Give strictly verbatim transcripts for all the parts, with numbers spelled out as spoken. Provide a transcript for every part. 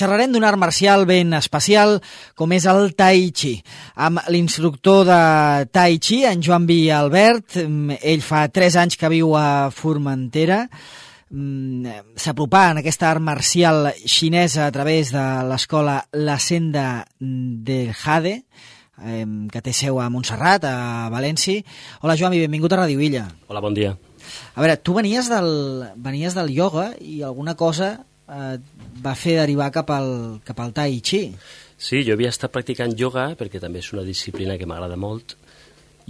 xerrarem d'un art marcial ben especial com és el Tai Chi, amb l'instructor de Tai Chi, en Joan Vi Albert. Ell fa tres anys que viu a Formentera. S'apropà en aquesta art marcial xinesa a través de l'escola La Senda del Jade, que té seu a Montserrat, a València. Hola, Joan Vi, benvingut a Ràdio Illa. Hola, bon dia. A veure, tu venies del, venies del ioga i alguna cosa eh, va fer derivar cap al, cap al Tai Chi. Sí, jo havia estat practicant ioga perquè també és una disciplina que m'agrada molt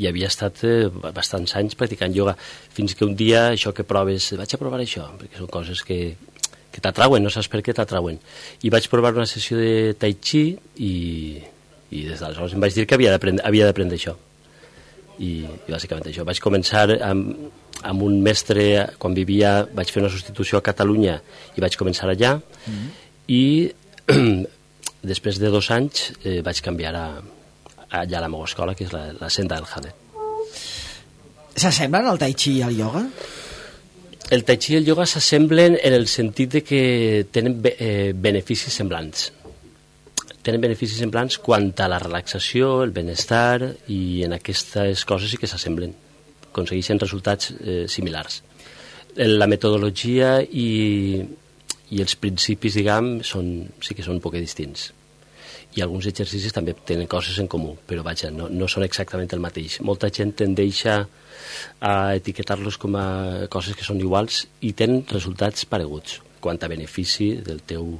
i havia estat eh, bastants anys practicant ioga, fins que un dia això que proves, vaig a provar això, perquè són coses que, que t'atrauen, no saps per què t'atrauen. I vaig provar una sessió de Tai Chi i, i des d'aleshores em vaig dir que havia d'aprendre havia d'aprendre això. I, i bàsicament això. Vaig començar amb, amb un mestre, quan vivia, vaig fer una substitució a Catalunya i vaig començar allà, mm-hmm. i després de dos anys eh, vaig canviar a, a allà a la meva escola, que és la, la Senda del Jade. S'assemblen el Tai Chi i el ioga? El Tai Chi i el ioga s'assemblen en el sentit de que tenen be, eh, beneficis semblants. Tenen beneficis semblants quant a la relaxació, el benestar, i en aquestes coses sí que s'assemblen, aconsegueixen resultats eh, similars. La metodologia i, i els principis, diguem, són, sí que són un poc distints. I alguns exercicis també tenen coses en comú, però vaja, no, no són exactament el mateix. Molta gent tendeix a etiquetar-los com a coses que són iguals i tenen resultats pareguts quant a benefici del teu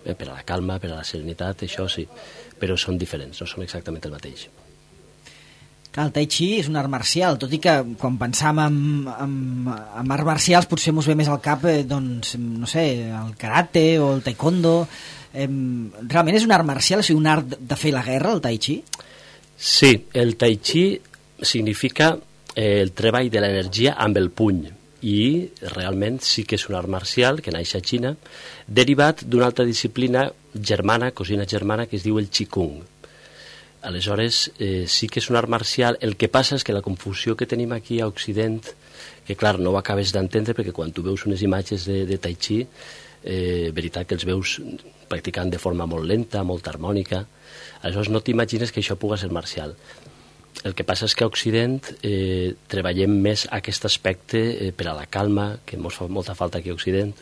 Eh, per a la calma, per a la serenitat, això sí, però són diferents, no són exactament el mateix. Clar, el Tai Chi és un art marcial, tot i que quan pensam en, en, en arts marcials potser mos ve més al cap, eh, doncs, no sé, el karate o el taekwondo. Eh, realment és un art marcial, o sigui, un art de fer la guerra, el Tai Chi? Sí, el Tai Chi significa eh, el treball de l'energia amb el puny, i realment sí que és un art marcial que naix a Xina, derivat d'una altra disciplina germana, cosina germana, que es diu el Qigong. Aleshores, eh, sí que és un art marcial. El que passa és que la confusió que tenim aquí a Occident, que clar, no ho acabes d'entendre perquè quan tu veus unes imatges de, de Tai Chi, eh, veritat que els veus practicant de forma molt lenta, molt harmònica, aleshores no t'imagines que això pugui ser marcial. El que passa és que a Occident eh, treballem més aquest aspecte eh, per a la calma, que ens fa molta falta aquí a Occident,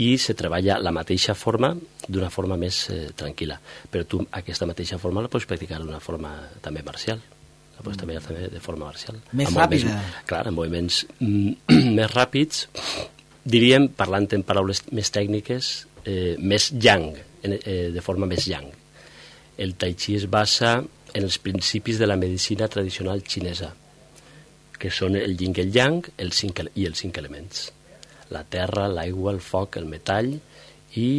i se treballa la mateixa forma d'una forma més eh, tranquil·la. Però tu aquesta mateixa forma la pots practicar d'una forma també marcial. La pots treballar també de forma marcial. Més ràpida. Clar, amb moviments mm, més ràpids, diríem, parlant en paraules més tècniques, eh, més yang, eh, de forma més yang. El Tai Chi es basa en els principis de la medicina tradicional xinesa, que són el yin i el yang el cinc, i els cinc elements. La terra, l'aigua, el foc, el metall i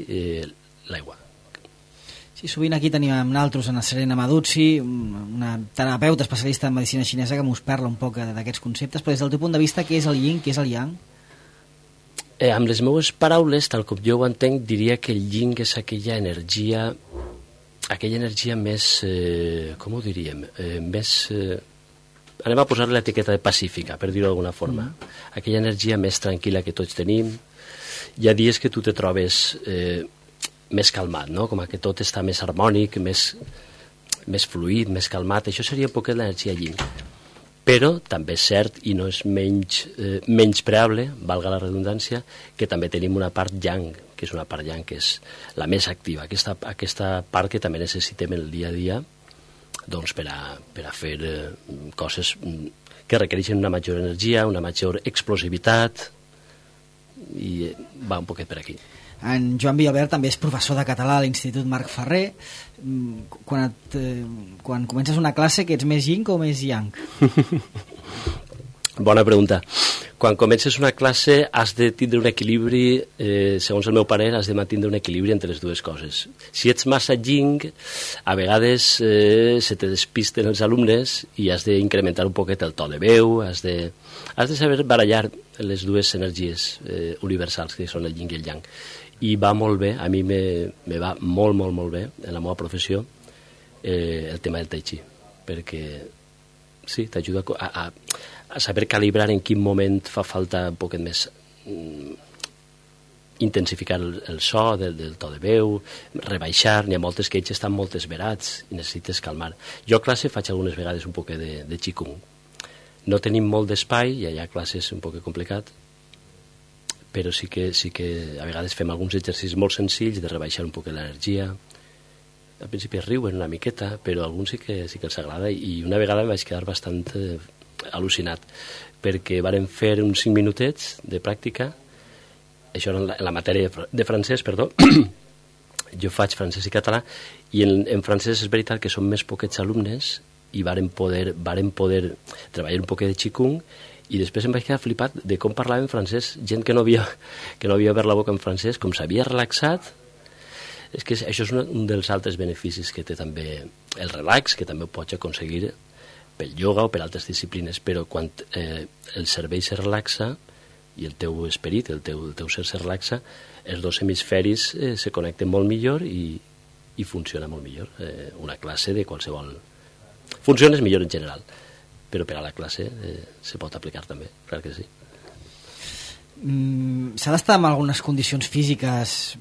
eh, l'aigua. Sí, sovint aquí tenim amb nosaltres en Serena Maduzzi, una terapeuta especialista en medicina xinesa que mos parla un poc d'aquests conceptes, però des del teu punt de vista, què és el yin, què és el yang? Eh, amb les meves paraules, tal com jo ho entenc, diria que el yin és aquella energia aquella energia més, eh, com ho diríem, eh, més, eh, anem a posar l'etiqueta de pacífica, per dir-ho d'alguna forma, mm. aquella energia més tranquil·la que tots tenim. Hi ha dies que tu te trobes eh, més calmat, no? Com que tot està més harmònic, més, més fluid, més calmat, això seria un poquet l'energia yin. Però també és cert, i no és menys, eh, menys preable, valga la redundància, que també tenim una part yang, que és una part yang que és la més activa, aquesta, aquesta part que també necessitem el dia a dia doncs, per, a, per a fer eh, coses que requereixen una major energia, una major explosivitat, i eh, va un poquet per aquí. En Joan Vi Albert també és professor de català a l'Institut Marc Ferrer. Quan, et, eh, quan comences una classe, que ets més yin o més yang? Bona pregunta. Quan comences una classe has de tindre un equilibri, eh, segons el meu parer, has de mantenir un equilibri entre les dues coses. Si ets massa yin, a vegades eh, se te despisten els alumnes i has d'incrementar un poquet el to de veu, has de, has de saber barallar les dues energies eh, universals, que són el yin i el yang. I va molt bé, a mi me, me va molt, molt, molt bé en la meva professió eh, el tema del Tai Chi, perquè sí, t'ajuda a, a, a saber calibrar en quin moment fa falta un poquet més mm, intensificar el, el so del, del to de veu, rebaixar, n'hi ha moltes que ells estan molt esverats i necessites calmar. Jo a classe faig algunes vegades un poc de, de qigong. No tenim molt d'espai i allà a classe és un poc complicat, però sí que, sí que a vegades fem alguns exercicis molt senzills de rebaixar un poc l'energia. Al principi riuen una miqueta, però a alguns sí que, sí que els agrada, i una vegada em vaig quedar bastant eh, al·lucinat, perquè varen fer uns cinc minutets de pràctica. Això era en la, en la matèria de francès, perdó. Jo faig francès i català, i en, en francès és veritat que són més poquets alumnes, i varen poder, varen poder treballar un poquet de qigong, i després em vaig quedar flipat de com parlava en francès, gent que no havia, que no havia obert la boca en francès, com s'havia relaxat. És que això és un, un dels altres beneficis que té també el relax, que també ho pots aconseguir pel ioga o per altres disciplines, però quan eh, el cervell se relaxa i el teu esperit, el teu, el teu ser se relaxa, els dos hemisferis eh, se connecten molt millor i, i funciona molt millor. Eh, una classe de qualsevol... Funciona millor en general, però per a la classe eh, se pot aplicar també, clar que sí. Mm, s'ha d'estar en algunes condicions físiques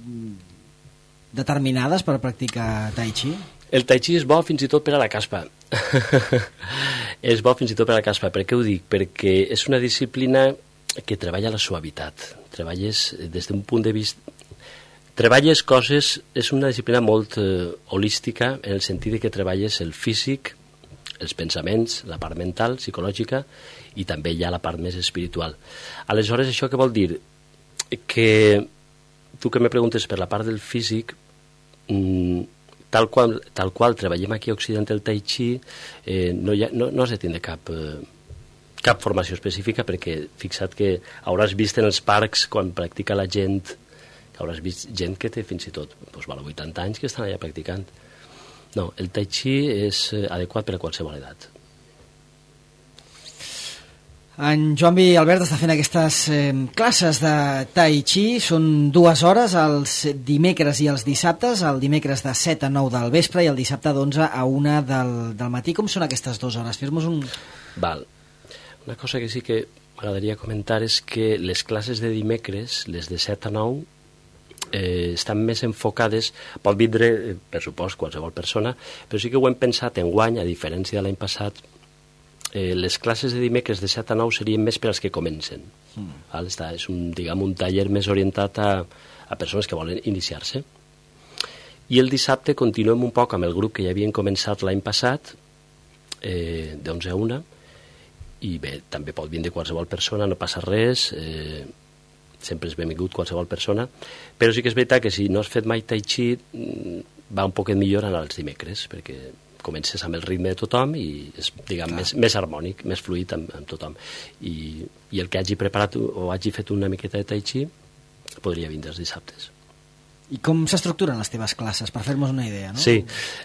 determinades per practicar tai chi? El tai chi és bo fins i tot per a la caspa. És bo fins i tot per a la caspa. Per què ho dic? Perquè és una disciplina que treballa la suavitat. Treballes des d'un punt de vista... Treballes coses... És una disciplina molt eh, holística, en el sentit de que treballes el físic, els pensaments, la part mental, psicològica, i també hi ha la part més espiritual. Aleshores, això què vol dir? Que tu que me preguntes per la part del físic, mmm, tal qual, tal qual treballem aquí a Occident el tai chi, eh, no, hi ha, no, no has de tindre cap... Eh, cap formació específica, perquè fixa't que hauràs vist en els parcs quan practica la gent, que hauràs vist gent que té fins i tot doncs, val, vuitanta anys que estan allà practicant. No, el tai chi és adequat per a qualsevol edat. En Joan-Vi Albert està fent aquestes eh, classes de tai chi, són dues hores els dimecres i els dissabtes, el dimecres de set a nou del vespre i el dissabte d'onze a una del, del matí. Com són aquestes dues hores? Fes-nos un... Val. Una cosa que sí que m'agradaria comentar és que les classes de dimecres, les de set a nou, eh, estan més enfocades, pot vindre, per supost, qualsevol persona, però sí que ho hem pensat enguany, a diferència de l'any passat, eh, les classes de dimecres de set a nou serien més per als que comencen. Mm. Val? Està, és un, diguem, un taller més orientat a, a persones que volen iniciar-se. I el dissabte continuem un poc amb el grup que ja havien començat l'any passat, eh, d'onze a una, i bé, també pot vindre qualsevol persona, no passa res, eh, sempre és benvingut qualsevol persona, però sí que és veritat que si no has fet mai tai chi va un poquet millor anar els dimecres, perquè comences amb el ritme de tothom i és, diguem, més, més harmònic, més fluid amb, amb tothom. I, I el que hagi preparat o hagi fet una miqueta de tai chi podria vindre els dissabtes. I com s'estructuren les teves classes, per fer-nos una idea, no? Sí,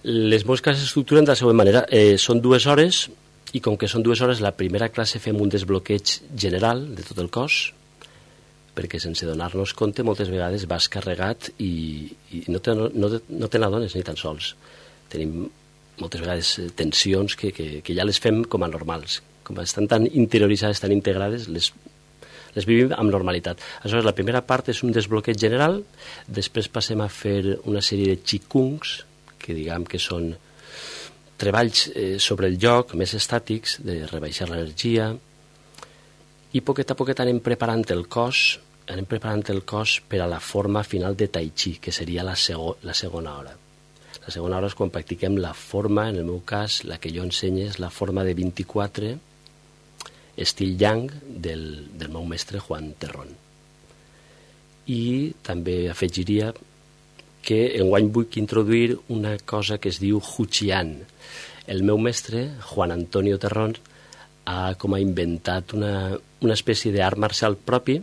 les meves classes s'estructuren de la següent manera. Eh, són dues hores, i com que són dues hores, la primera classe fem un desbloqueig general de tot el cos, perquè sense donar-nos compte moltes vegades vas carregat i, i no, te, no, no te n'adones ni tan sols. Tenim moltes vegades tensions que, que, que ja les fem com a normals. Com estan tan interioritzades, tan integrades, les, les vivim amb normalitat. Aleshores, la primera part és un desbloqueig general, després passem a fer una sèrie de qigongs, que diguem que són treballs eh, sobre el lloc, més estàtics, de rebaixar l'energia, i poquet a poquet anem preparant el cos, anem preparant el cos per a la forma final de tai chi, que seria la, sego, la segona hora. La segona hora és quan practiquem la forma, en el meu cas, la que jo ensenyo és la forma de vint-i-quatre, estil yang, del, del meu mestre Juan Terrón. I també afegiria que enguany vull introduir una cosa que es diu Huqian. El meu mestre, Juan Antonio Terrón, ha com a inventat una, una espècie d'art marcial propi,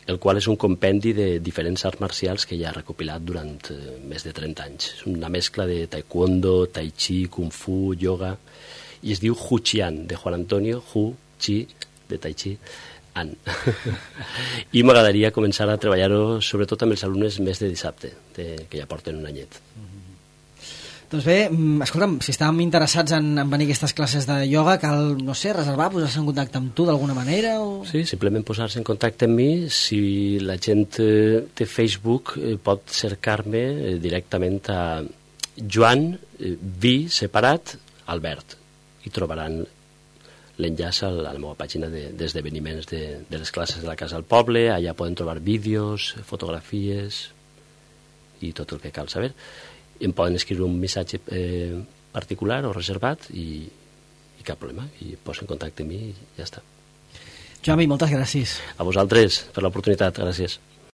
el qual és un compendi de diferents arts marcials que ja ha recopilat durant eh, més de trenta anys. És una mescla de taekwondo, tai chi, kung fu, yoga, i es diu Huqian, de Juan Antonio, Hu, Chi, de tai chi, An. I m'agradaria començar a treballar-ho sobretot amb els alumnes més de dissabte, de, que ja porten un anyet. Doncs bé, escolta'm, si estàvem interessats en, en venir a aquestes classes de ioga, cal, no sé, reservar, posar-se en contacte amb tu d'alguna manera? O... Sí, simplement posar-se en contacte amb mi. Si la gent eh, té Facebook, eh, pot cercar-me eh, directament a Joan eh, Vi separat Albert i trobaran l'enllaç a la meva pàgina d'esdeveniments de, de, de les classes de la Casa del Poble. Allà poden trobar vídeos, fotografies i tot el que cal saber. Em poden escriure un missatge eh, particular o reservat i, i cap problema, i posa en contacte amb mi i ja està. Joan, moltes gràcies. A vosaltres per l'oportunitat, gràcies.